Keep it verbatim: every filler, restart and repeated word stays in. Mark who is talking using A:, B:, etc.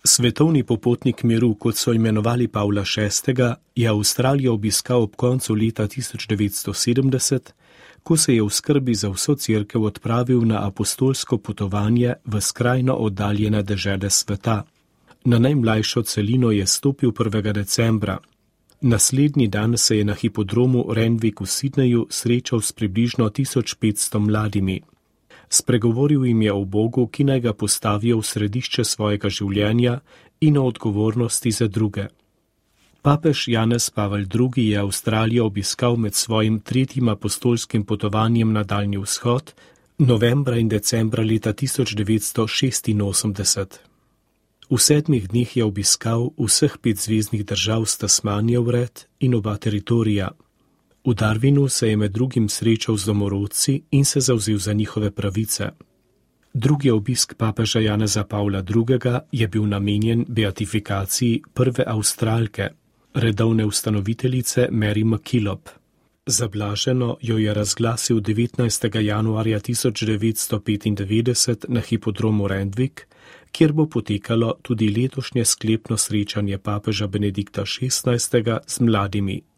A: Svetovni popotnik miru, kot so imenovali Pavla šestega, je Avstralijo obiskal ob koncu leta tisoč devetsto sedemdeset, ko se je v skrbi za vso cerkev odpravil na apostolsko potovanje v skrajno oddaljene dežele sveta. Na najmlajšo celino je stopil prvega decembra. Naslednji dan se je na hipodromu Randwick v Sydneyju srečal s približno tisoč petsto mladimi. Spregovoril jim je o Bogu, ki naj ga postavijo v središče svojega življenja in o odgovornosti za druge. Papež Janez Pavel drugi je Avstralijo obiskal med svojim tretjim apostolskim potovanjem na Daljni vzhod novembra in decembra leta tisoč devetsto šestinosemdeset. V sedmih dneh je obiskal vseh pet zveznih držav s Tasmanijo vred in oba teritorija. V Darwinu se je med drugim srečal z domorodci in se zavzel za njihove pravice. Drugi obisk papeža Janeza Pavla drugega je bil namenjen beatifikaciji prve Avstralke, redovne ustanoviteljice Mary MacKillop. Za blaženo jo je razglasil devetnajstega januarja tisoč devetsto petindevetdeset na hipodromu Randwick, kjer bo potekalo tudi letošnje sklepno srečanje papeža Benedikta šestnajstega z mladimi.